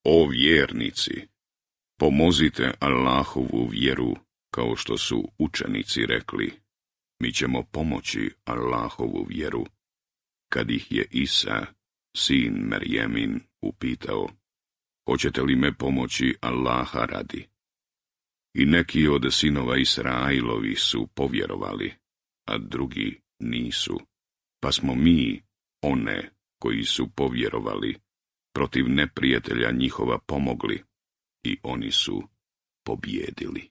O vjernici, pomozite Allahovu vjeru, kao što su učenici rekli, mi ćemo pomoći Allahovu vjeru. Kad ih je Isa, sin Merjemin, upitao, hoćete li me pomoći Allaha radi? I neki od sinova Israilovi su povjerovali, a drugi nisu. Pa smo mi, one koji su povjerovali, protiv neprijatelja njihova pomogli i oni su pobjedili.